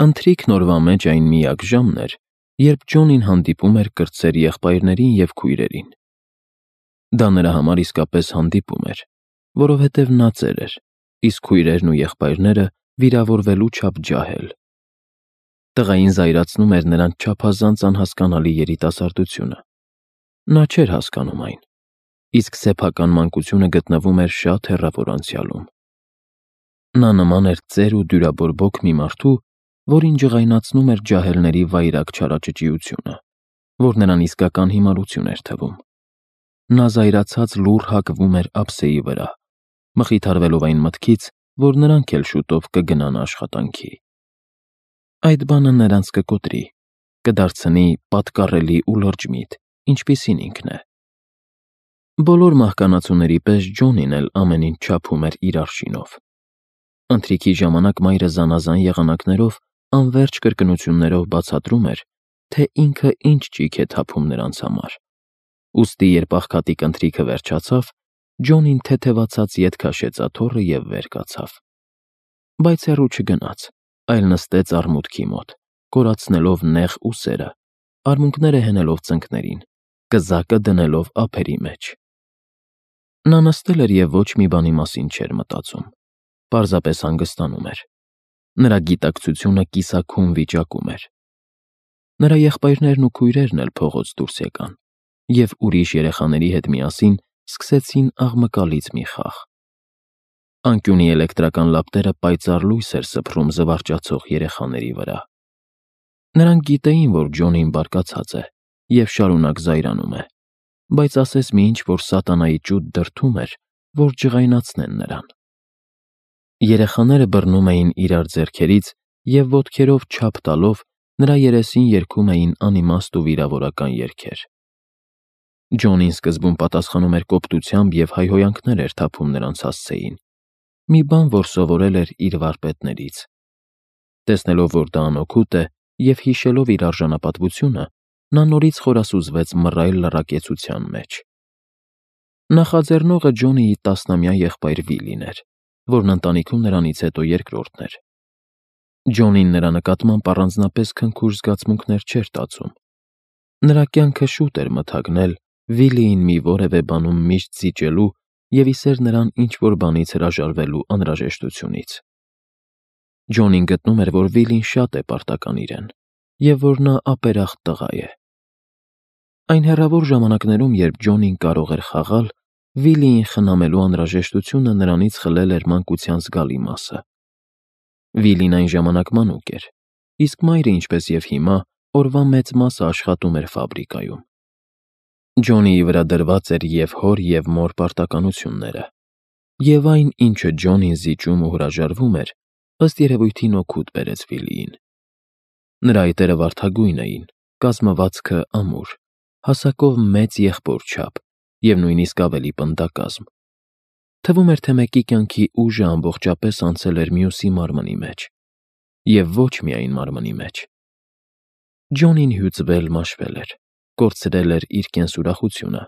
Ընթրիքն օրվա մեջ այն միակ ժամն էր, երբ Ջոնին հանդիպում էր կրտսեր եղբայրներին և քույրերին։ Դա նրա համար իսկապես հանդիպում էր, որովհետև նա ծեր էր, իսկ քույրերն ու եղբայրները վիրավորվելու չափ ջահել։ Տղային զայրացնում էր նրանց չափազանց անհասկանալի երիտասարդությունը։ Նա չէր հասկանում այն, իսկ սեփական մանկությունը գտնվում էր շատ հեռավոր անցյալում։ Նա նման էր ծեր ու դյուրաբորբոք մի մարդու, որին ջղայնացնում էր ջահելների վայրագ չարաճճիությունը, որ նրան իսկական հիմարություն էր թվում։ Նա զայրացած լուռ հակվում էր ափսեի վրա, մխիթարվելով այն մտքից, որ նրանք էլ շուտով կգնան աշխատանքի։ Այդ բանը նրանց կկոտրի, կդարձնի պատկառելի ու լրջմիտ, ինչպիսին ինքն է։ Բոլոր մահկանացուների պես Ջոնին էլ ամեն ինչ չափում էր իր արշինով։ Ընթրիքի ժամանակ մայրը զանազան եղանակներով անվերջ կրկնություններով բացատրում էր, թե ինքը ինչ ճիգ է թափում նրանց համար։ Ուստի երբ աղքատիկ ընթրիքը վերջացավ, Ջոնին թեթևացած ետ քաշեց աթոռը և վեր կացավ։ Բայց հեռու չգնաց, այլ նստեց արմուտքի մոտ, կորացնելով նեղ ուսերը, արմունկները հենելով ծնկներին, կզակը դնելով ափերի մեջ։ Նա նստել էր և ոչ մի բանի մասին չէր մտածում, պարզապես հանգստանում էր։ Նրա գիտակցությունը կիսաքուն վիճակում էր։ Նրա եղբայրներն ու քույրերն էլ փողոց դուրս եկան և ուրիշ երեխաների հետ միասին սկսեցին աղմկալից մի խաղ։ Անկյունի էլեկտրական լապտերը պայծառ լույս էր սփռում զվարճացող երեխաների վրա։ Նրանք գիտեին, որ Ջոնին բարկացած է և շարունակ զայրանում է, բայց ասես մի ինչ-որ սատանայի ճուտ դրդում էր, որ ջղայնացնեն նրան։ Երեխաները բռնում էին իրար ձեռքերից և ոտքերով չափ տալով նրա երեսին երգում էին անիմաստ ու վիրավորական երգեր։ Ջոնին սկզբում պատասխանում էր կոպտությամբ և հայհոյանքներ էր թափում նրանց հասցեին, մի բան, որ սովորել էր իր վարպետներից։ Տեսնելով, որ դա անօգուտ է, և հիշելով իր արժանապատվությունը, նա նորից խորասուզվեց մռայլ լռակեցության մեջ։ Նախաձեռնողը Ջոնիի 10-ամյա եղբայր Վիլին էր, որն ընտանիքում նրանից հետո երկրորդն էր։ Ջոնին նրա նկատմամբ առանձնապես քնքուշ զգացմունքներ չէր տածում։ Նրա կյանքը շուտ էր մթագնել Վիլիին մի որևէ բանում միշտ զիջելու և իսեր նրան ինչ-որ բանից հրաժարվելու անհրաժեշտությունից։ Ջոնին գտնում էր, որ Վիլին շատ է պարտական իրեն, և որ նա ապերախտ տղա է։ Այն հեռավոր ժամանակներում, երբ Ջոնին կարող էր խաղալ, Վիլիին խնամելու անհրաժեշտությունը նրանից խլել էր մանկության զգալի մասը։ Վիլին այն ժամանակ մանուկ էր, իսկ մայրը, ինչպես և հիմա, օրվա մեծ մասը աշխատում էր ֆաբրիկայում։ Ջոնիի վրա դրված էր և հոր և մոր պարտականությունները, և այն, ինչը Ջոնին զիջում ու հրաժարվում էր, ըստ երևույթին օգուտ բերեց Վիլիին։ Նրա այտերը վարդագույն էին, կազմվածքը ամուր, հասակով մեծ եղբոր չափ և նույնիսկ ավելի պնդակազմ։ Թվում էր, թե մեկի կյանքի ուժը ամբողջապես անցել էր մյուսի մարմնի մեջ, և ոչ միայն մարմնի մեջ։ Ջոնին հյուծվել-մաշվել էր, կորցրել էր իր կենսուրախությունը,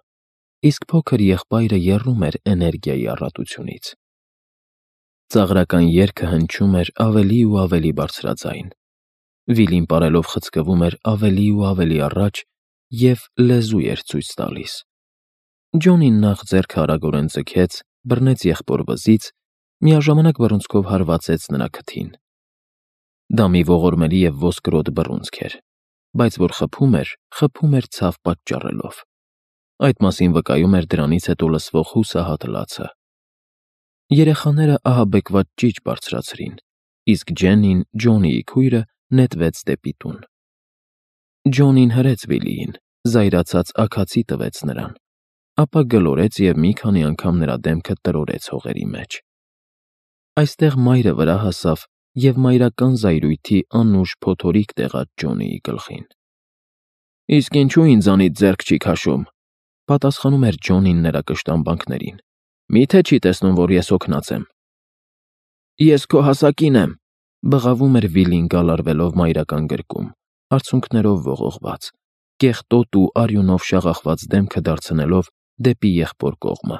իսկ փոքր եղբայրը եռում էր էներգիայի առատությունից։ Ծաղրական երգը հնչում էր ավելի ու ավելի բարձրաձայն։ Վիլին պարելով խցկվում էր ավելի ու ավելի առաջ և լեզու էր ցույց տալիս։ Ջոնին նախ ձեռքը արագորեն ձգեց, բռնեց եղբոր վզից, միաժամանակ բռունցքով հարվածեց նրա քթին։ Դա մի ողորմելի և ոսկրոտ բռունցք էր, բայց որ խփում էր ցավ պատճառելով։ Այդ մասին վկայում էր դրանից հետո լսվող հուսահատ լացը։ Երեխաները ահաբեկված ճիչ բարձրացրին, իսկ Ջեննին, Ջոնիի քույրը, նետվեց դեպի տուն։ Ջոնին հրեց Վիլիին, զայրացած աքացի տվեց նրան, ապա գլորեց և մի քանի անգամ նրա դեմքը տրորեց հողերի մեջ։ Այստեղ մայրը վրա հասավ և մայրական զայրույթի անուշ փոթորիկ տեղաց Ջոնիի գլխին։ «Իսկ ինչու ինձանից ձեռք չի քաշում», պատասխանում էր Ջոնին նրա կշտամբանքներին։ «Մի՞թե չի տեսնում, որ ես հոգնած եմ»։ «Ես քո հասակին եմ», բղավում էր Վիլին գալարվելով մայրական գրկում, արցունքներով ողողված, կեղտոտ ու արյունով շաղախված դեմքը դարձնելով դեպի եղբոր կողմը։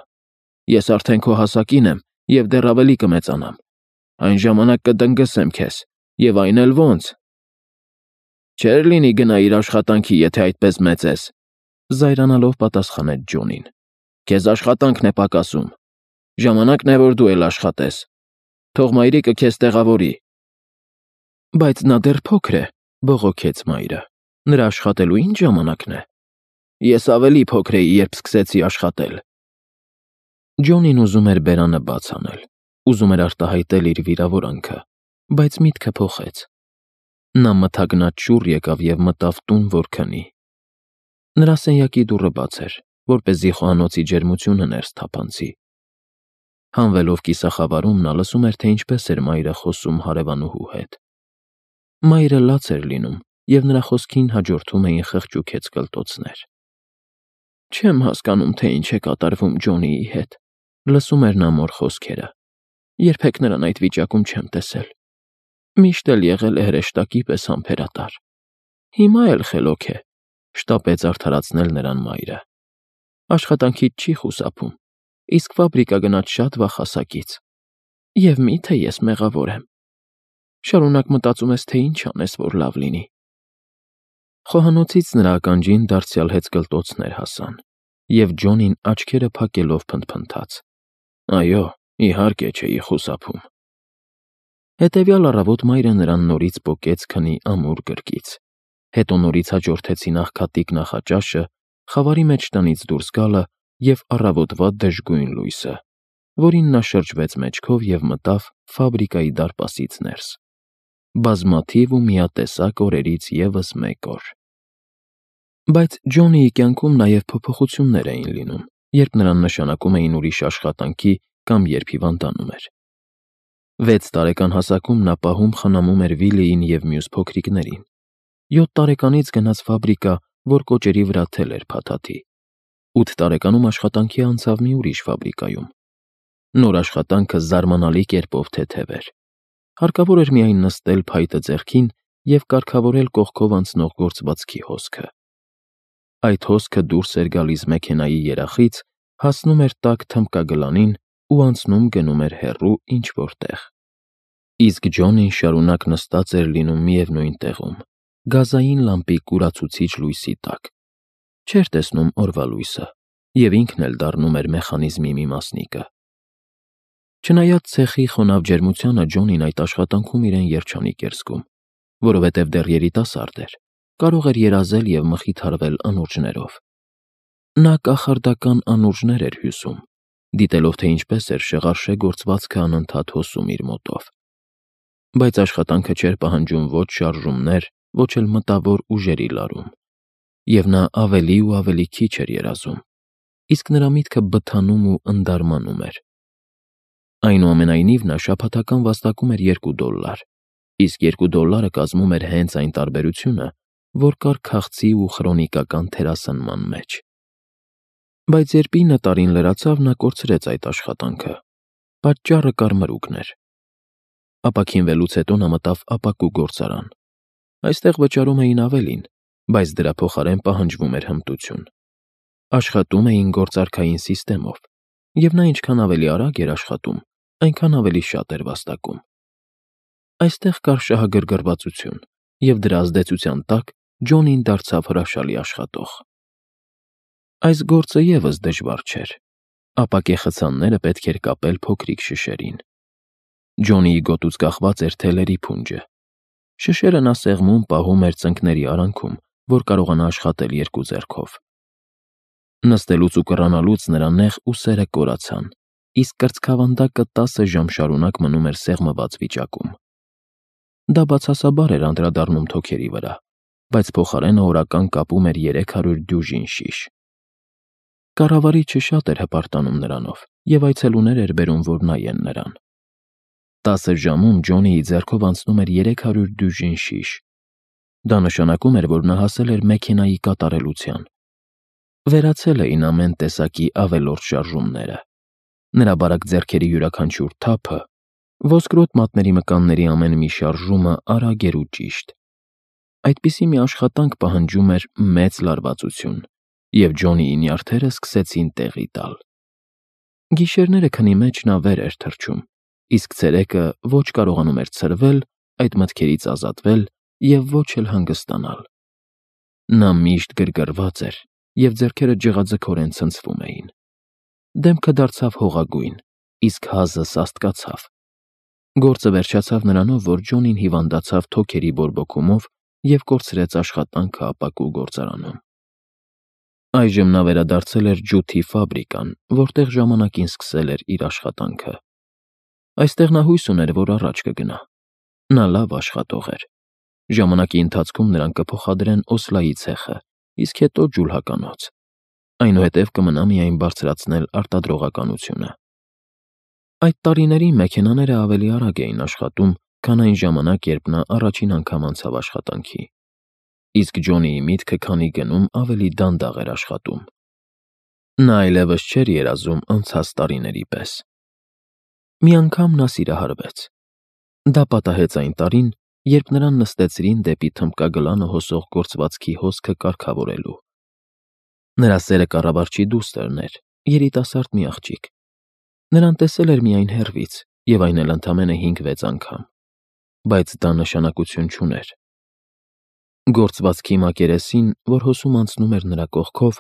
«Ես արդեն քո հասակին եմ և դեռ ավելի կմեծանամ։ Այն ժամանակ կդնգսեմ քեզ, և այն էլ ոնց, Չէր լինի գնա իր աշխատանքի, եթե այդպես մեծ ես, զայրանալով պատասխանեց Ջոնին։ Քեզ աշխատանքն է պակասում։ Ժամանակն է, որ դու էլ աշխատես։ Թող մայրիկը քեզ տեղավորի։ Բայց նա դեռ փոքր է, բողոքեց մայրը։ Նրա աշխատելու ինչ ժամանակն է։ Ես ավելի փոքր էի, երբ սկսեցի աշխատել։ Ջոնին ուզում էր բերանը բաց անել, ուզում էր արտահայտել իր վիրավորանքը, բայց միտքը փոխեց։ Նա մթագնած շուռ եկավ և մտավ տուն, որ քնի։ Նրա սենյակի դուռը բաց էր, որպեսզի խոհանոցի ջերմությունը ներս թափանցի։ Հանվելով կիսախավարում նա լսում էր, թե ինչպես էր մայրը խոսում հարևանուհու հետ։ Մայրը լաց էր լինում, և նրա խոսքին հաջորդում էին խղճուկեց կլտոցներ։ Չեմ հասկանում, թե ինչ է կատարվում Ջոնիի հետ, լսում էր նա մոր խոսքերը։ Երբեք նրան այդ վիճակում չեմ տեսել։ Միշտ էլ եղել է հրեշտակի պես համբերատար։ Հիմա էլ խելոք է, շտապեց արդարացնել նրան մայրը։ Աշխատանքից չի խուսափում, իսկ ֆաբրիկա գնաց շատ վաղ հասակից։ Եվ միթե ես մեղավոր եմ։ Շարունակ մտածում ես, թե ինչ անես, որ լավ լինի։ Խոհանոցից նրա ականջին դարձյալ հեծկլտոցներ հասան, և Ջոնին աչքերը փակելով փնթփնթաց. Այո, իհարկե չէի խուսափում։ Հետևյալ առավոտ մայրը նրան նորից պոկեց քնի ամուր գրկից։ Հետո նորից հաջորդեցին աղքատիկ նախաճաշը, խավարի մեջ տնից դուրս գալը և առավոտվա դժգույն լույսը, որին նա շրջվեց մեջքով և մտավ ֆաբրիկայի դարպասից ներս։ Բազմաթիվ ու միատեսակ օրերից ևս մեկ օր։ Բայց Ջոնիի կյանքում նաև փոփոխություններ էին լինում, երբ նրան նշանակում էին ուրիշ աշխատանքի կամ երբ հիվանդանում էր։ 6 տարեկան հասակում նա պահում խնամում էր Վիլիին և մյուս փոքրիկներին։ 7 տարեկանից գնաց ֆաբրիկա, որ կոճերի վրա թել էր փաթաթի։ 8 տարեկանում աշխատանքի անցավ մի ուրիշ ֆաբրիկայում։ Նոր աշխատանքը զարմանալի կերպով թեթև էր։ Հարկավոր էր միայն նստել փայտը ձեռքին և կարգավորել կողքով անցնող գործվածքի հոսքը։ Այդ հոսքը դուրս էր գալիս մեքենայի երախից, հասնում էր տաք թմբկագլանին ու անցնում գնում էր հեռու ինչ-որ տեղ։ Իսկ Ջոնին շարունակ նստած էր լինում միևնույն տեղում, գազային լամպի կուրացուցիչ լույսի տակ։ Չէր տեսնում օրվա լույսը, և ինքն էլ դառնում էր մեխանիզմի մի մասնիկը։ Չնայած ցեխի խոնավ ջերմությանը, Ջոնին այդ աշխատանքում իրեն երջանիկ էր զգում, որովհետև դեռ երիտասարդ էր, կարող էր երազել և մխիթարվել անուրջներով։ Նա կախարդական անուրջներ էր հյուսում, դիտելով, թե ինչպես էր շեղարշե գործվածքը անընդհատ հոսում իր մոտով։ Բայց աշխատանքը չէր պահանջում ոչ շարժումներ, ոչ էլ մտավոր ուժերի լարում, և նա ավելի ու ավելի քիչ էր երազում, իսկ նրա միտքը բթանում ու ընդարմանում էր։ Այնուամենայնիվ նա շաբաթական վաստակում էր $2, իսկ $2 կազմում էր հենց այն տարբերությունը, որ կար քաղցի ու խրոնիկական թերասնման մեջ։ Բայց երբ 9 տարին լրացավ, նա կորցրեց այդ աշխատանքը։ Պատճառը կարմրուկն էր։ Ապաքինվելուց հետո նա մտավ ապակու գործարան։ Այստեղ վճարում էին ավելին, բայց դրա փոխարեն պահանջվում էր հմտություն։ Աշխատում էին գործարքային սիստեմով, և նա ինչքան ավելի արագ էր աշխատում, այնքան ավելի շատ էր վաստակում։ Այստեղ կար շահագրգռվածություն, և դրա ազդեցության տակ Ջոնին դարձավ հրաշալի աշխատող։ Այս գործը ևս դժվար չէր։ Ապակե խցանները պետք էր կապել փոքրիկ շշերին։ Ջոնիի գոտուց կախված էր թելերի փունջը։ Շշերը նա սեղմում պահում էր ծնկների արանքում, որ կարողանա աշխատել 2 ձեռքով։ Նստելուց ու կռանալուց նրա նեղ ուսերը կորացան, իսկ կրծքավանդակը 10 ժամ շարունակ մնում էր սեղմված վիճակում։ Դա բացասաբար էր անդրադառնում թոքերի վրա, բայց փոխարենը օրական կապում էր 300 դյուժին շիշ։ Կառավարիչը շատ էր հպարտանում նրանով, և այցելուներ էր բերում, որ նայեն նրան։ 10 ժամում Ջոնիի ձեռքով անցնում էր 300 դյուժին շիշ։ Դա նշանակում էր, որ նա հասել էր մեքենայի կատարելության։ Վերացել էին ամեն տեսակի ավելորդ շարժումները։ Նրա բարակ ձեռքերի յուրաքանչյուր թափը, ոսկրոտ մատների մկանների ամեն մի շարժումը արագ էր ու ճիշտ։ Այդպիսի մի աշխատանք պահանջում էր մեծ լարվածություն, և Ջոնիի նյարդերը սկսեցին տեղի տալ։ Գիշերները քնի մեջ նա վեր էր թռչում, իսկ ցերեկը ոչ կարողանում էր ցրվել, այդ մտքերից ազատվել և ոչ էլ հանգստանալ։ Նա միշտ գրգռված էր, և ձեռքերը ջղաձգորեն ցնցվում էին։ Դեմքը դարձավ հողագույն, իսկ հազը սաստկացավ։ Գործը վերջացավ նրանով, որ Ջոնին հիվանդացավ թոքերի բորբոքումով և կորցրեց աշխատանքը ապակու գործարանում։ Այժմ նա վերադարձել էր ջութի ֆաբրիկան, որտեղ ժամանակին սկսել էր իր աշխատանքը։ Այստեղ նա հույս ուներ, որ առաջ կգնա։ Նա լավ աշխատող էր։ Ժամանակի ընթացքում նրան կփոխադրեն Օսլայի ցեխը, իսկ հետո ջուլհականոց։ Այնուհետև կմնա միայն բարձրացնել արտադրողականությունը։ Այդ տարիներին մեքենաները ավելի արագ էին աշխատում, քան այն ժամանակ, երբ նա առաջին անգամ անցավ աշխատանքի։ Իսկ Ջոնիի միտքը քանի գնում ավելի դանդաղ էր աշխատում։ Նա այլևս չէր երազում անցած տարիների պես։ Մի անգամ նա սիրահարվեց։ Դա պատահեց այն տարին, երբ նրան նստեցրին դեպի թմբկագլանը հոսող գործվածքի հոսքը կարգավորելու։ Նրա սերը կառավարչի դուստրն էր, երիտասարդ մի աղջիկ։ Նրան տեսել էր միայն հեռվից, և այն էլ ընդամենը 5-6 անգամ, բայց դա նշանակություն չուներ։ Գործվածքի մակերեսին, որ հոսում անցնում էր նրա կողքով,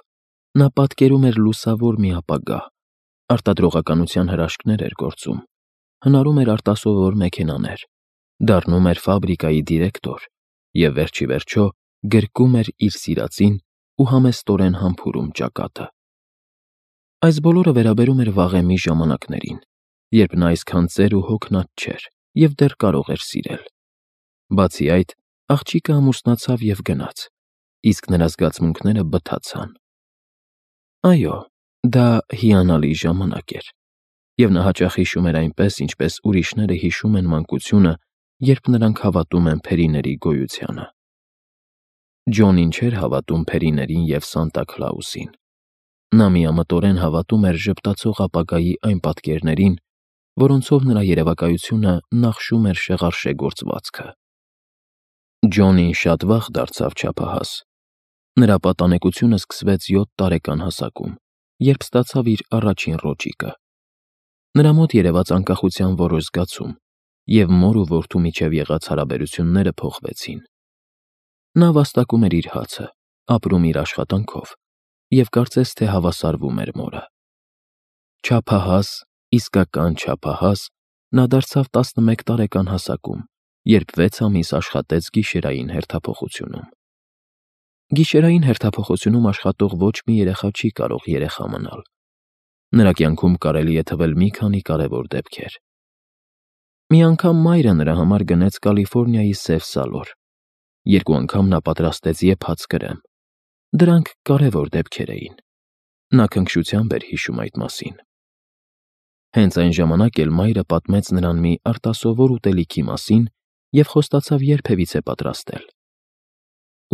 նա պատկերում էր լուսավոր մի ապագա, արտադրողականության հրաշքներ էր գործում, հնարում էր արտասովոր մեքենաներ, դառնում էր ֆաբրիկայի դիրեկտոր և վերջիվերջո գրկում էր իր սիրածին ու համեստորեն համբուրում ճակատը։ Այս բոլորը վերաբերում էր վաղեմի ժամանակներին, երբ նա այսքան ծեր ու հոգնած չէր և դեռ կարող էր սիրել։ Բացի այդ, աղջիկը ամուսնացավ և գնաց, իսկ նրա զգացմունքները բթացան։ Այո, դա հիանալի ժամանակ էր, և նա հաճախ հիշում էր այնպես, ինչպես ուրիշները հիշում են մանկությունը, երբ նրանք հավատում են փերիների գոյությանը։ Ջոնին չէր հավատում փերիներին և Սանտա Քլաուսին։ Նա միամտորեն հավատում էր ժպտացող ապագայի այն պատկերներին, որոնցով նրա երևակայությունը նախշում էր շեղարշե գործվածքը։ Ջոնին շատ վաղ դարձավ չափահաս։ Նրա պատանեկությունը սկսվեց 7 տարեկան հասակում, երբ ստացավ իր առաջին ռոճիկը։ Նրա մոտ երևաց անկախության որոշ զգացում, և մոր ու որդու միջև եղած հարաբերությունները փոխվեցին։ Նա վաստակում էր իր հացը, ապրում իր աշխատանքով և կարծես թե հավասարվում էր մորը։ Չափահաս, իսկական չափահաս, նա դարձավ 11 տարեկան հասակում, երբ 6 ամիս աշխատեց գիշերային հերթափոխությունում։ Գիշերային հերթափոխությունում աշխատող ոչ մի երեխա չի կարող երեխա մնալ։ Նրա կյանքում կարելի է թվել մի քանի կարևոր դեպքեր։ Մի անգամ մայրը նրա համար գնեց Կալիֆոռնիայի սև սալոր։ 2 անգամ նա պատրաստեց եփած կրեմ։ Դրանք կարևոր դեպքեր էին։ Նա քնքշությամբ էր հիշում այդ մասին։ Հենց այն ժամանակ էլ մայրը պատմեց նրան մի արտասովոր ուտելիքի մասին և խոստացավ երբևիցե պատրաստել։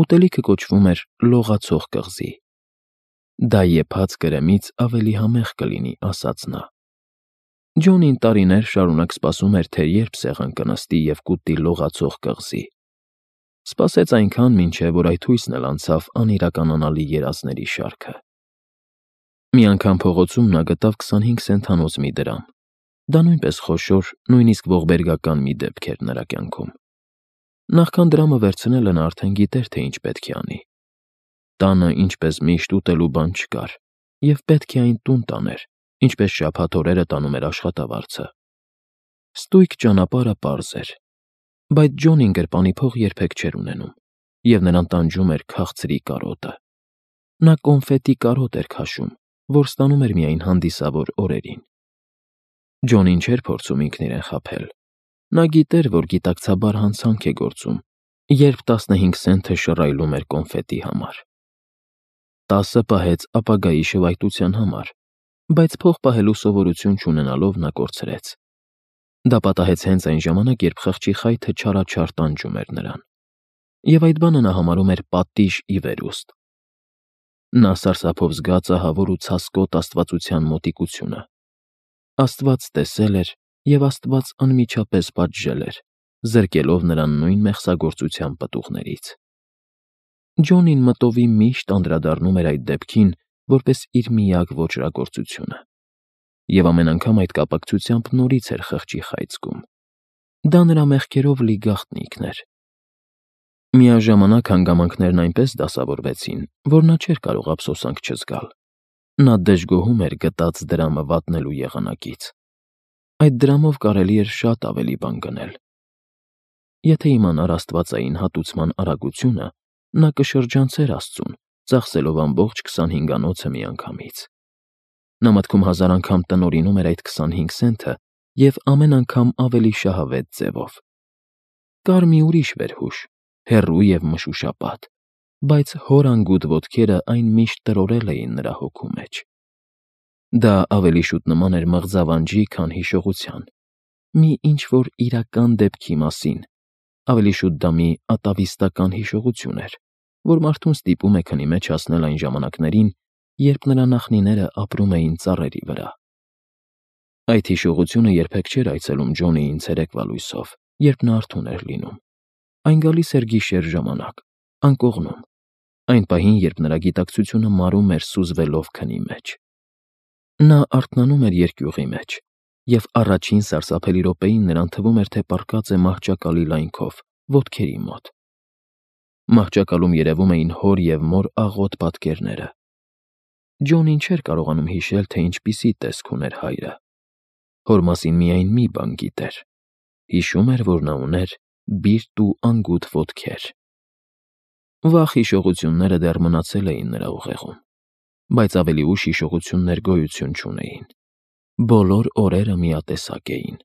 Ուտելիքը կոչվում էր լողացող կղզի։ Դա եփած կրեմից ավելի համեղ կլինի, ասաց նա։ Ջոնին տարիներ շարունակ սպասում էր, թե երբ սեղան կնստի և կուտի լողացող կղզի։ Սպասեց այնքան, մինչև որ այդ հույսն էլ անցավ անիրականանալի երազների շարքը։ Մի անգամ փողոցում նա գտավ 25 սենթանոց մի դրամ։ Դա նույնպես խոշոր, նույնիսկ ողբերգական մի դեպք էր նրա կյանքում։ Նախքան դրամը վերցնելը նա արդեն գիտեր, թե ինչ պետք է անի։ Տանը, ինչպես միշտ, ուտելու բան չկար, և պետք է այն տուն տաներ, ինչպես շաբաթ օրերը տանում էր աշխատավարձը։ Ստույգ ճանապարհը պարզ էր, բայց Ջոնին գրպանի փող երբեք չէր ունենում, և նրան տանջում էր քաղցրի կարոտը։ Նա կոնֆետի կարոտ էր քաշում, որ ստանում էր միայն հանդիսավոր օրերին։ Ջոնին չէր փորձում ինքն իրեն խաբել։ Նա գիտեր, որ գիտակցաբար հանցանք է գործում, երբ 15 սենթը շռայլում էր կոնֆետի համար։ 10-ը պահեց ապագայի շվայտության համար, բայց փող պահելու սովորություն չունենալով նա կորցրեց։ Դա պատահեց հենց այն ժամանակ, երբ խղճի խայթը չարաչար տանջում էր նրան։ Եվ այդ բանը նա համարում էր պատիժ ի վերուստ։ Նա սարսափով զգաց ահավոր ու ցասկոտ աստվածության մոտիկությունը։ Աստված տեսել էր, և Աստված անմիջապես պատժել էր, զրկելով նրան նույն մեղսագործության պտուղներից։ Ջոնին մտովի միշտ անդրադառնում էր այդ դեպքին որպես իր միակ ոճրագործությունը։ Եվ ամեն անգամ այդ կապակցությամբ նորից էր խղճի խայծ զգում։ Դա նրա մեղքերով լի գաղտնիքն էր։ Միաժամանակ հանգամանքներն այնպես դասավորվեցին, որ նա չէր կարող ափսոսանք չզգալ։ Նա դժգոհում էր գտած դրամը վատնելու եղանակից։ Այդ դրամով կարելի էր շատ ավելի բան գնել։ Եթե իմանար աստվածային հատուցման արագությունը, նա կշրջանցեր Աստծուն, ծախսելով ամբողջ 25-անոցը միանգամից։ Նա մտքում 1000 անգամ տնօրինում էր այդ 25 սենթը և ամեն անգամ ավելի շահավետ ձևով։ Կար մի ուրիշ վերհուշ, հեռու և մշուշապատ, բայց հոր անգութ ոտքերը այն միշտ տրորել էին նրա հոգու մեջ։ Դա ավելի շուտ նման էր մղձավանջի, քան հիշողության, մի ինչ-որ իրական դեպքի մասին, ավելի շուտ դա մի ատավիստական հիշողություն էր, որ մարդուն ստիպում է քնի մեջ հասնել այն ժամանակներին, երբ նրա նախնիները ապրում էին ծառերի վրա։ Այդ հիշողությունը երբեք չէր այցելում Ջոնիին ցերեկվա լույսով, երբ նա արթուն էր լինում։ Այն գալիս էր գիշեր ժամանակ, անկողնում, այն պահին, երբ նրա գիտակցությունը մարում էր սուզվելով քնի մեջ։ Նա արթնանում էր երկյուղի մեջ, և առաջին սարսափելի րոպեին նրան թվում էր, թե պառկած է մահճակալի լայնքով, ոտքերի մոտ։ Մահճակալում երևում էին հոր և մոր աղոտ պատկերները։ Ջոնին չէր կարողանում հիշել, թե ինչպիսի տեսք ուներ հայրը։ Հոր մասին միայն մի բան գիտեր. հիշում էր, որ նա ուներ բիրտ ու անգութ ոտքեր։ Վաղ հիշողությունները դեռ մնացել էին նրա ուղեղում, բայց ավելի ուշ հիշողություններ գոյություն չունեին։ Բոլոր օրերը միատեսակ էին։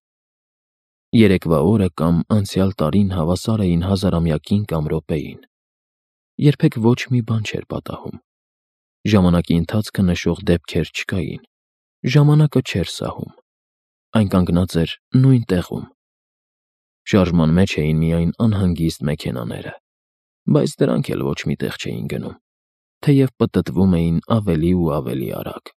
Երեկվա օրը կամ անցյալ տարին հավասար էին հազարամյակին կամ րոպեին։ Երբեք ոչ մի բան չէր պատահում։ Ժամանակի ընթացքը նշող դեպքեր չկային։ Ժամանակը չէր սահում։ Այն կանգնած էր նույն տեղում։ Շարժման մեջ էին միայն անհանգիստ մեքենաները, բայց դրանք էլ ոչ մի տեղ չէին գնում, թեև պտտվում էին ավելի ու ավելի արագ։